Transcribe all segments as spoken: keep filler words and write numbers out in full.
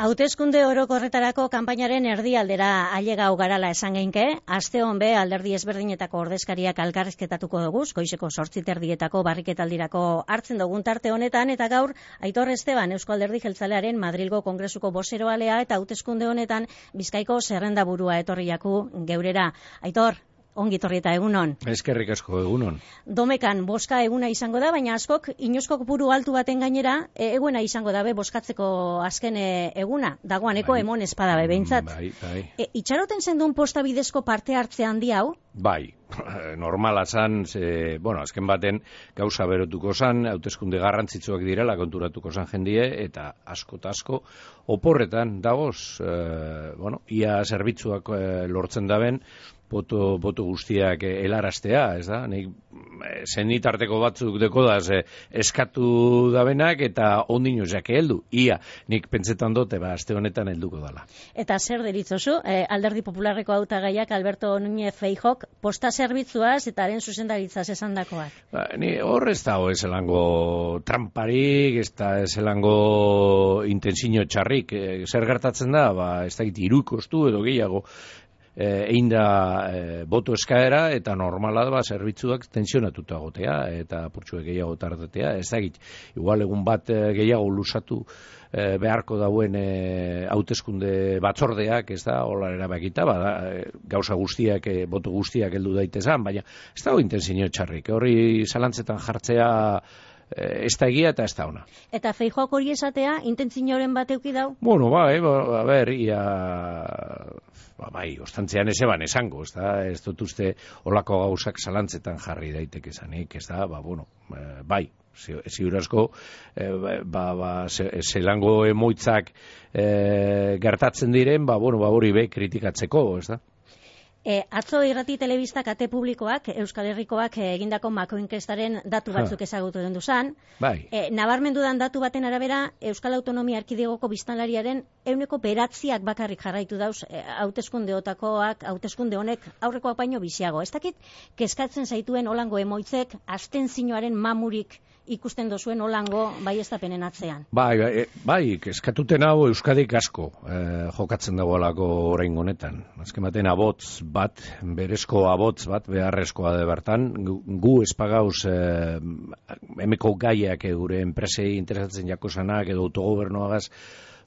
Hauteskunde orokorretarako kanpainaren erdialdera ailegau garala esan geinke, aste hon be alderdi ezberdinetako ordezkariak elkarrizketatuko dugu, goizeko zortzi terdietako barriketaldirako hartzen dugun tarte honetan, eta gaur Aitor Esteban Eusko Alderdi Jeltzalearen Madrilgo Kongresuko bozeroalea eta hauteskunde honetan Bizkaiko zerrendaburua etorriaku geurera. Aitor, ongi torri eta egunon. Eskerrik asko egunon. Domekan boska eguna izango da, baina askok inoizko kopuru altu baten gainera eguna izango dabe boskatzeko azken eguna. Dagoaneko bai. Emon espada be behintzat. Bai, bai. E, itxaroten zendun posta bidezko parte hartze handi hau? Bai, normala zan, ze, bueno, azken baten gauza berotuko zan, hauteskunde garrantzitsuak direla konturatuko zan jendie, eta asko eta asko oporretan dagoz, e, bueno, ia zerbitzuak e, lortzen daben, Boto, boto guztiak helaraztea, ez da? Nik zenitarteko batzuk deko da, ze, eskatu dabenak eta ondino jake heldu. Ia, nik pentsetan dote, ba, aste honetan helduko dala. Eta zer deritzozu, eh, Alderdi Popularreko hautagaiak Alberto Núñez Feijóok posta zerbitzuaz eta haren zuzendaritzaz esandakoak? Ba, ni hor ez dago ezelango tramparik, ez da ezelango intentsio txarrik. E, zer gertatzen da, ba, ez da giti irukostu edo gehiago, egin da e, boto eskaera eta normala da ba, zerbitzuak tensionatuta gotea eta apurtxuek gehiago tartetea, ez da git, igual egun bat e, gehiago lusatu e, beharko dauen hauteskunde batzordeak, ez da, hola erabakita, bada, e, gauza guztiak, e, boto guztiak heldu daitezan, baina ez dago intensio txarrik, horri zalantzetan jartzea ez da egia eta ez da ona. Eta Feijóok hori esatea, intentzioren bat euki dau? Bueno, ba, e, ba, a ber, ia... Ba, bai, ostantzean ez eban esango, ez da, ez dut uste olako gauzak zalantzetan jarri daiteke zanik, ez da, ba, bueno, e, bai, ziur asko, e, ba, ba, zelango emoitzak e, gertatzen diren, ba, bueno, ba, hori be kritikatzeko, ez da. E, atzo irrati telebista kate publikoak, Euskal Herrikoak egindako makoinkestaren datu batzuk ezagutu den duzan. Bai. E, nabarmendudan datu baten arabera, Euskal Autonomia Erkidegoko biztanlariaren ehuneko beratziak bakarrik jarraitu dauz, e, hauteskundeotakoak, hauteskunde honek aurrekoak baino biziago. Ez dakit, kezkatzen zaituen olango emoitzek, abstentzioaren mamurik ikusten dozuen olango baieztapenen atzean. Bai, bai, bai, kezkatuten hau Euskadik asko eh, jokatzen dagoelako orain honetan. Azken baten abotz bat, berezko abotz bat, beharrezkoa de bertan, gu, gu espagauz eh, emeko gaiak gure enpresei interesatzen jako zanak, edo autogobernuagaz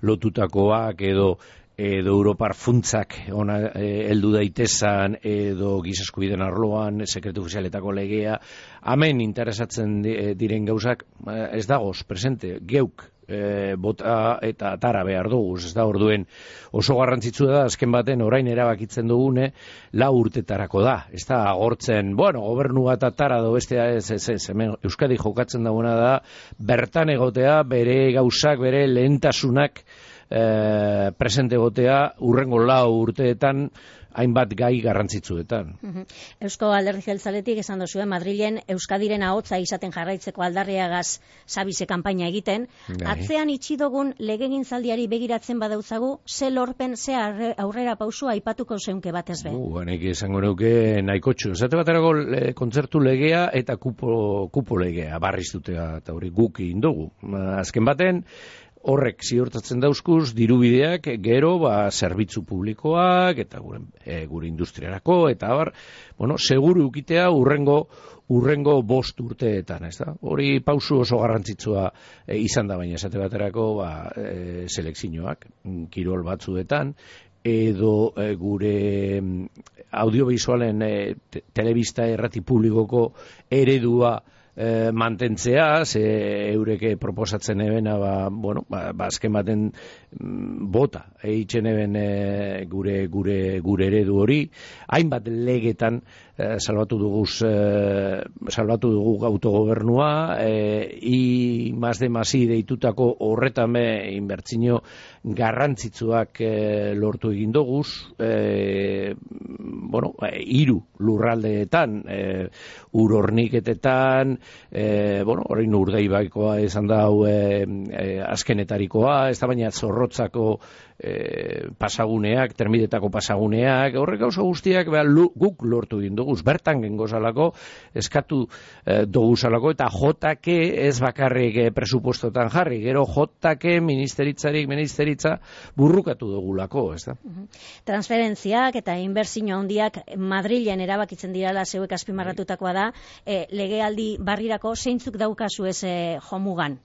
lotutakoak, edo edo Europar funtzak ona heldu e, daitezan, edo gizaskubideen arloan, sekretu ofizialetako legea, hemen interesatzen diren gauzak, ez dagoz, presente, geuk, e, bota eta tara behar dugu, ez da orduen oso garrantzitsua da, azken baten orain erabakitzen dugune, lau urtetarako da, ez da agortzen, bueno, gobernu bat atara do bestea, ez, ez, ez, hemen Euskadi jokatzen dagoena da, bertan egotea, bere gauzak, bere lehentasunak, E, presente gotea urrengo lau urteetan hainbat gai garrantzitsuetan. Uh-huh. Eusko Alderdi Jeltzaletik esan dozue Madrilen Euskadiren ahotza izaten jarraitzeko aldarriagaz sabize kanpaina egiten. Gai. Atzean itxidogun legegintzaldiari begiratzen badautzagu, ze lorpen, ze aurrera pausu aipatuko zeunke batez be. Uh, nik esango neuke nahikotxu. Zate baterako le, kontzertu legea eta kupo, kupo legea barriztutea eta hori guk indogu. Azken baten, horrek ziurtatzen dauzkuz, dirubideak gero, ba, zerbitzu publikoak, eta gure, e, gure industriarako, eta bar, bueno, seguru ukitea urrengo, urrengo bost urteetan, ez da? Hori pausu oso garrantzitsua e, izan da, baina esate baterako, ba, e, selekzioak, kirol batzuetan, edo e, gure audiovisualen e, te, telebista errati publikoko eredua E, mantentzea, ze eureke proposatzen ebena, ba, bueno, ba, ba azken baten mm, bota, eitzen eben e, gure, gure, gure eredu hori, hainbat legetan e, salbatu duguz, e, salbatu dugu autogobernua, e, i mas de masi deitutako horretame inbertzino garrantzitsuak e, lortu egin duguz, e, bueno, e, iru lurraldeetan, e, urorniketetan, E, bueno, orain urdaibaikoa izan da hau e, e, azkenetarikoa, ez da baina zorrotzako e, pasaguneak, termidetako pasaguneak, horrek gauza guztiak beha, lu, guk lortu egin duguz, bertan gengo zalako, eskatu e, dugu zalako, eta J K ez bakarrik e, presupuestotan jarri, gero J K ministeritzarik, ministeritza burrukatu dugulako, ez da? Transferentziak eta inbertsio handiak Madrilen erabakitzen dirala zeuek azpimarratutakoa da, e, legealdi barrirako zeintzuk daukazu ez e, jomugan?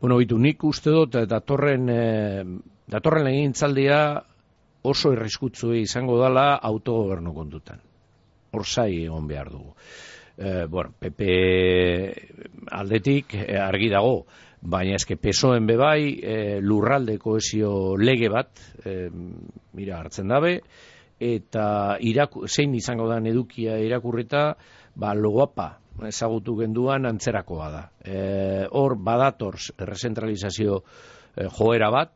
Bueno, bitu, nik uste dut datorren, e, datorren legintzaldia oso irriskutzu izango dela autogobernu kontutan. Hor zai egon behar dugu. E, bueno, P P aldetik e, argi dago, baina eske P S O En bebai e, lurralde kohesio lege bat, e, mira, hartzen dabe, eta iraku, zein izango da edukia irakurrita, ba, logoapa ezagutu genduan antzerakoa da. E, hor badator rezentralizazio e, joera bat,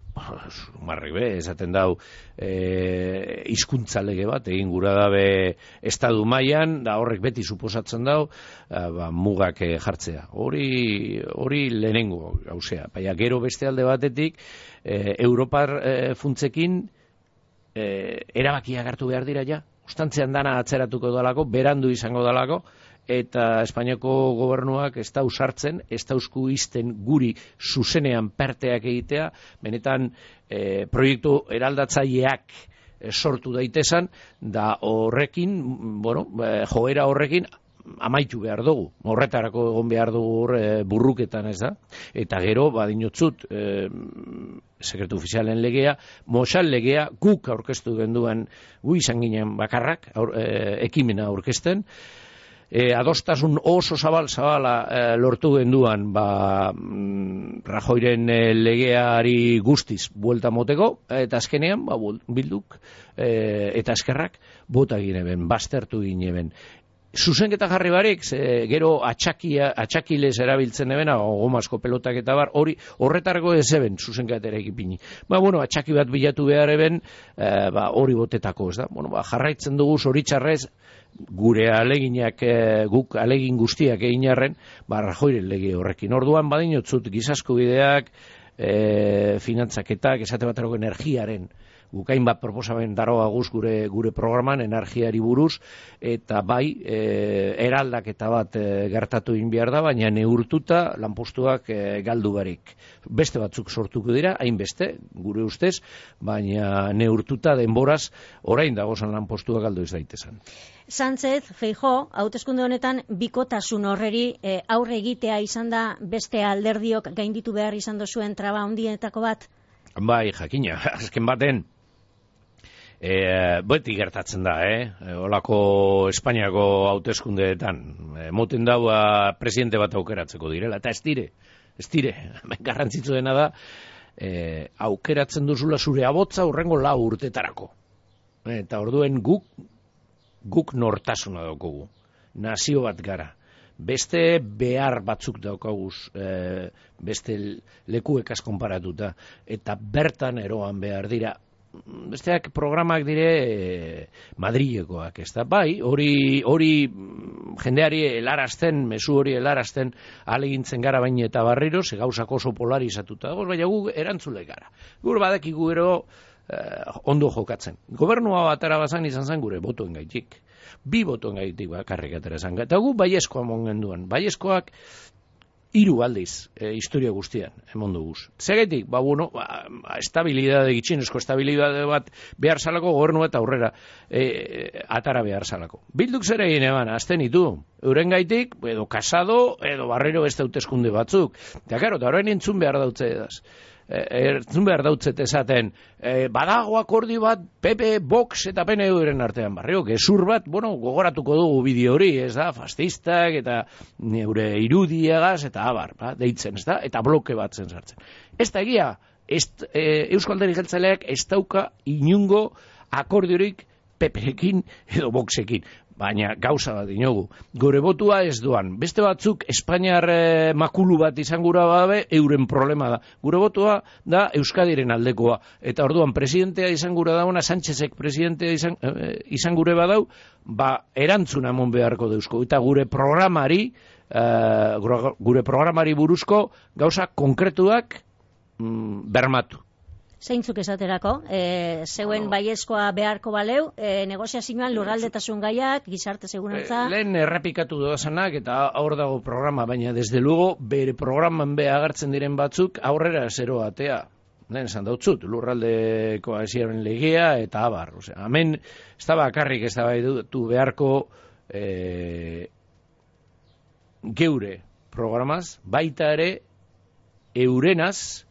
marri be, esaten dau e, hizkuntza lege bat, egin gura dabe estadu mailan, da horrek beti suposatzen dau, e, ba, mugak e, jartzea. Hori hori lehenengo gauzea. Baina gero beste alde batetik, e, Europar e, funtzekin e, erabakiak hartu behar dira ja, ostantzean dana atzeratuko dalako, berandu izango dalako, eta Espainiako gobernuak ez da usartzen, ez da usku izten guri zuzenean perteak egitea, benetan e, proiektu eraldatzaileak e, sortu daitezan, da horrekin, bueno, e, joera horrekin, amaitu behar dugu, horretarako egon behar dugu e, burruketan, ez da? Eta gero, badinotzut, e, sekretu ofizialen legea, Mosal legea guk aurkeztu genduan, gu izan ginen bakarrak, aur, e, ekimena aurkezten, E, adostasun oso zabal zabala e, lortu genduan ba, mm, Rajoyren e, legeari guztiz buelta moteko, eta azkenean ba, bilduk e, eta eskerrak bota gineben, baztertu gineben. Zuzenketa jarri barik, ze, gero atxakia, atxakilez erabiltzen ebena, gomazko pelotak eta bar, hori horretarako ez eben zuzenketera ekipini. Ba, bueno, atxaki bat bilatu behar eben, e, ba, hori botetako, ez da? Bueno, ba, jarraitzen dugu zoritxarrez, gure aleginak, e, guk alegin guztiak egin arren, ba, Rajoyren lege horrekin. Orduan, badinotzut, gizasku bideak, e, finantzaketak, esate baterako energiaren, gukain bat proposamen daroa guz gure, gure programan, energiari buruz, eta bai, e, eraldaketa bat e, gertatu egin behar da, baina neurtuta lanpostuak e, galdu barik. Beste batzuk sortuko dira, hainbeste, gure ustez, baina neurtuta denboraz, orain dagozan lanpostuak galdu ez daitezan. Sánchez, Feijóo, hauteskunde honetan bikotasun horreri e, aurre egitea izan da beste alderdiok gainditu behar izan dozuen traba handienetako bat? Bai, jakina, azken baten, e, beti gertatzen da, eh? Olako Espainiako hauteskundeetan, e, moten daua presidente bat aukeratzeko direla, eta ez dire, ez dire, garrantzitsu dena da, e, aukeratzen duzula zure abotza urrengo lau urtetarako. Eta orduen guk, guk nortasuna daukagu, nazio bat gara. Beste behar batzuk daukaguz, e, beste lekuekaz konparatuta, eta bertan eroan behar dira. Besteak programak dire e, Madrilekoak, ez da? Bai, hori, hori jendeari helarazten, mezu hori helarazten alegintzen gara baina eta barriro, ze gauzak oso polarizatuta dago, baina gu erantzule gara. Gur badakigu ero eh, ondo jokatzen. Gobernua batara bazan izan zen gure botoen gaitik. Bi botoen gaitik bakarrik atera zen. Eta gu baiezkoa mongen duen. Baiezkoak hiru aldiz e, historia guztian emon duguz. Zegaitik, ba, bueno, ba, estabilidade, gitxinezko estabilidade bat behar salako, gobernu eta aurrera e, atara behar salako. Bilduk zer egin eban, azten ditu, euren gaitik, edo kasado, edo barrero beste hauteskunde batzuk. Eta, karo, eta horrein entzun behar dautze edaz. Entzun behar dautzet esaten, e, badago akordi bat P P, Vox eta P N V-ren artean barrio, gezur bat, bueno, gogoratuko dugu bideo hori, ez da, fascistak eta neure irudiagaz eta abar, ba, deitzen, ez da, eta bloke bat zen sartzen. Ez da egia, ez, e, Eusko Alderdi Jeltzaleak ez dauka inungo akordiorik P P-ekin edo Voxekin. Baina gauza bat dinogu. Gure botua ez doan. Beste batzuk Espainiar eh, makulu bat izan gura babe, euren problema da. Gure botua da Euskadiren aldekoa. Eta orduan presidentea izan gura dauna, Sánchezek presidentea izan, eh, izan gure badau, ba erantzuna emon beharko deuzko. Eta gure programari, eh, gure programari buruzko gauza konkretuak mm, bermatu. Zeintzuk esaterako, e, zeuen bueno, baiezkoa beharko baleu, e, negoziazioan lurraldetasun gaiak, gizarte segurantza... E, lehen errepikatu doazanak eta hor dago programa, baina desde luego bere programan be agertzen diren batzuk aurrera zero atea. Lehen esan dautzut, lurraldeko hasiaren legea eta abar. Osea, hemen ez da bakarrik ez da baitu beharko e, geure programaz, baita ere eurenaz,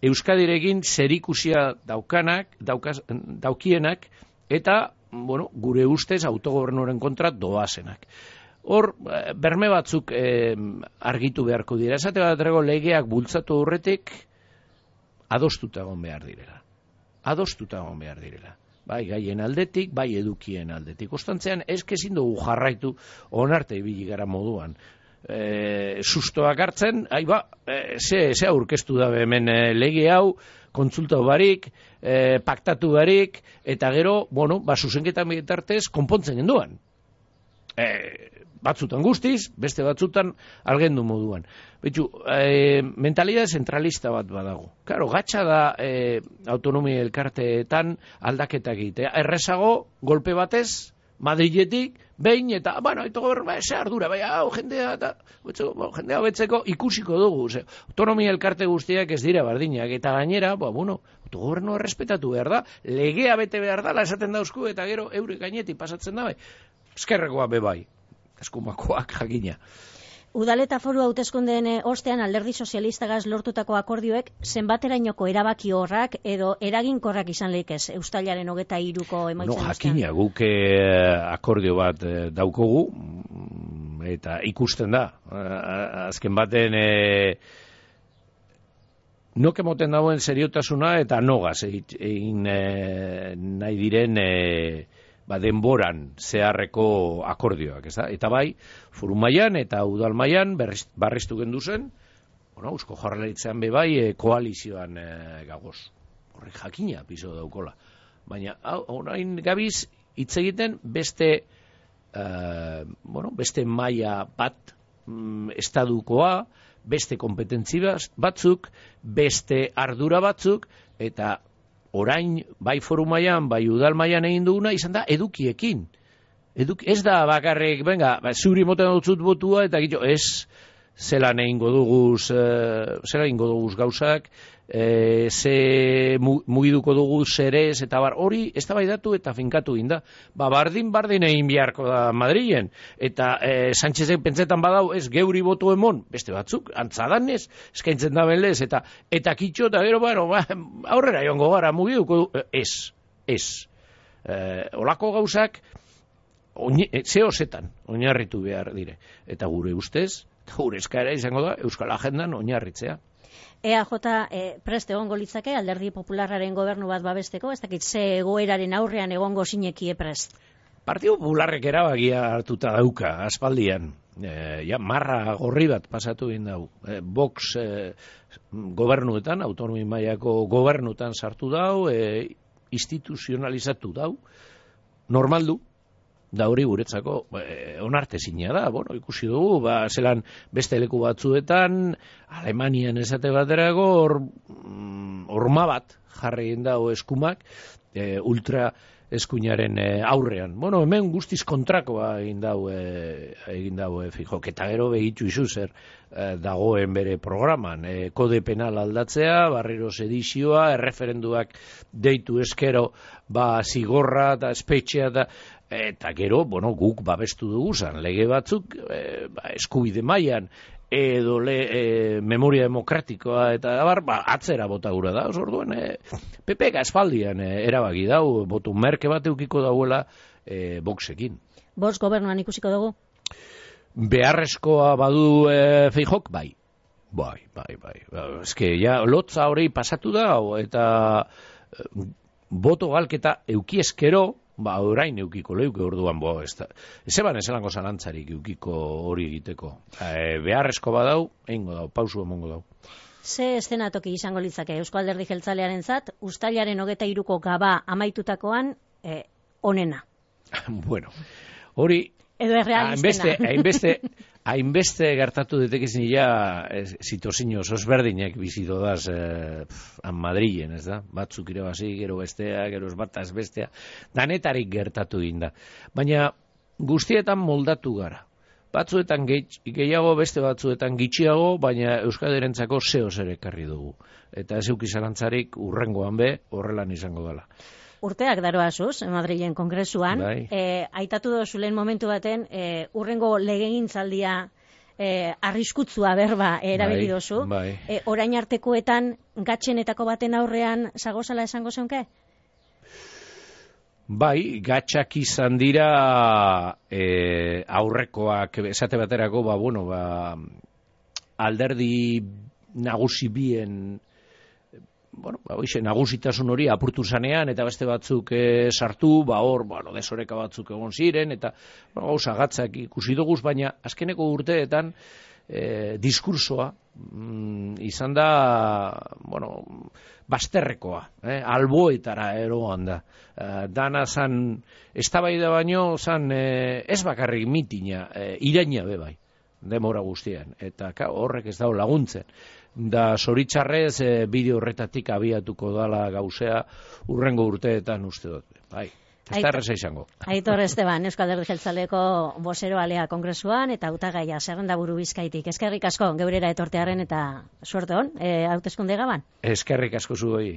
Euskadirekin zerikusia daukanak, daukaz, daukienak, eta, bueno, gure ustez autogobernuaren kontra doazenak. Hor, berme batzuk eh, argitu beharko dira. Esate baterako legeak bultzatu horretik, adostuta egon behar direla. Adostuta egon behar direla. Bai gaien aldetik, bai edukien aldetik. Ostantzean, ezkezin dugu jarraitu onarte ibili gara moduan. E, sustoak hartzen, ai ba, e, ze, ze aurkeztu da hemen e, lege hau, kontsulta barik, e, paktatu barik, eta gero, bueno, ba, zuzenketan bitartez, konpontzen genduan. E, batzutan guztiz, beste batzutan algendu moduan. Betxu, e, mentalidad zentralista bat badago. Claro, gatsa da e, autonomia elkarteetan aldaketak egitea. Errezago, golpe batez, Madriletik, behin, eta, bueno, eto gobernu, ze ardura, bai, hau, jendea, eta, betzeko, jendea betzeko ikusiko dugu, ze, autonomia elkarte guztiak ez dira bardinak, eta gainera, ba, bueno, autogobernu errespetatu behar da, legea bete behar da, esaten dauzku, eta gero, eure gainetik pasatzen da, bai, eskerrekoa be bai, eskumakoak jakina. Udaleta foru hauteskundeen ostean alderdi sozialistagaz lortutako akordioek zenbaterainoko erabaki horrak edo eraginkorrak izan leikez Uztailaren hogeta hiruko emaitzen no, ostean? Jakina, guk eh, akordio bat eh, daukogu eta ikusten da. Azken baten eh, nok emoten dagoen seriotasuna eta nogaz egin eh, nahi diren eh, ba, denboran zeharreko akordioak, ez da? Eta bai, foru mailan eta udal mailan barriztu gendu zen, bueno, Eusko Jaurlaritzan be bai, e, koalizioan e, gagoz. Horrek jakina piso daukola. Baina, orain gabiz, hitz egiten beste, e, bueno, beste maila bat mm, estadukoa, beste kompetentzi batzuk, beste ardura batzuk, eta orain, bai foru mailan, bai udal mailan egin duguna, izan da edukiekin. Eduk, ez da bakarrik, venga, ba, zuri moten dutzut botua, eta gito, ez, zelan egingo duguz, uh, zelan egingo duguz gauzak, e, ze mugiduko dugu zerez, eta bar, hori ez da baidatu eta finkatu ginda. Ba, bardin, bardin egin biharko da Madrilen, eta e, Sánchezek pentsetan badau, ez geuri botu emon, beste batzuk, antzadan ez, eskaintzen da belez, eta eta kitxo, eta gero, bueno, ba, aurrera joango gara, mugiduko du, ez, ez. E, olako gauzak, oine, zehozetan, oinarritu behar dire. Eta gure ustez, gure eskaera izango da, Euskal Agendan oinarritzea. E A J e, prest egongo litzake Alderdi Popularraren gobernu bat babesteko, ez dakit ze egoeraren aurrean egongo sinekie prest? Partidu Popularrek erabakia hartuta dauka, aspaldian. E, ja, marra gorri bat pasatu egin dau. E, Vox e, gobernuetan, autonomi mailako gobernuetan sartu dau, e, instituzionalizatu dau, normaldu. Da hori guretzako eh, onartezina da, bueno, ikusi dugu, ba, zelan beste leku batzuetan, Alemanian esate baterago, hor, mm, orma bat jarri egin dago eskumak, eh, ultra eskuinaren eh, aurrean. Bueno, hemen guztiz kontrakoa egin dago, eh, egin dago eh, fijok, eta gero begitu izu zer eh, dagoen bere programan. Eh, kode penal aldatzea, barriro sedizioa, erreferenduak deitu eskero, ba, zigorra eta espetxea da, eta gero, bueno, guk babestu dugu zan, lege batzuk, e, ba, eskubide mailan edo le, e, memoria demokratikoa, eta abar, ba, atzera bota gura da, orduan, e, P P espaldian e, erabaki dau, botu merke bat eukiko dauela e, Voxekin. Vox gobernuan ikusiko dugu? Beharrezkoa badu e, Feijok, bai. Bai, bai, bai. Eske, ja, lotza hori pasatu da, eta e, boto galketa eukieskero, ba, orain eukiko leuke orduan, bo, ez da. Ez eban ezelango zalantzarik eukiko hori egiteko. E, beharrezko badau, egingo dau, pausu emongo dau. Ze eszenatoki izango litzake Eusko Alderdi Jeltzalearen zat, Uztailaren hogeta hiruko gaba amaitutakoan, e, onena? Bueno, hori... Edo errealistena. Hainbeste, hainbeste gertatu detekizin ja zitozin oso ezberdinak bizitodaz eh, han Madrilen, ez da? Batzuk irabazi, gero bestea, gero ez bata ez bestea, danetarik gertatu inda. Baina guztietan moldatu gara. Batzuetan gehiago, beste batzuetan gitxiago, baina Euskadirentzako zeo zer ekarri dugu. Eta ez euki zalantzarik urrengoan be, horrelan izango dela. Urteak daroazuz, Madrilen kongresuan, bai. e, aitatu dozu lehen momentu baten, e, urrengo legegintzaldia e, arriskutzua berba erabili dozu. Bai, bai. E, orain artekoetan gatxenetako baten aurrean zagozala esango zeunke? Bai, gatxak izan dira e, aurrekoak, esate baterako, ba, bueno, ba, alderdi nagusi bien, bueno, ba, oixe, nagusitasun hori apurtu zanean, eta beste batzuk e, sartu, ba, hor, bueno, desoreka batzuk egon ziren, eta, bueno, gauza gatzak ikusi duguz, baina azkeneko urteetan, E, diskursoa mm, izan da, bueno, bazterrekoa, eh? alboetara eroan da. E, dana zan, eztabaida baino, zan e, ez bakarrik mitina, e, iraina be bai, demora guztian, eta ka, horrek ez dago laguntzen. Da zoritxarrez e, bideo horretatik abiatuko dala gauzea urrengo urteetan uste dut, bai. Ez da erreza izango. Aitor Esteban, Euskal Alderdi Jeltzaleko bozero alea kongresuan eta hautagaia zerrendaburu Bizkaitik. Eskerrik asko geurera etortearen eta suerte hon, e, hauteskunde gaban. Eskerrik asko zuei.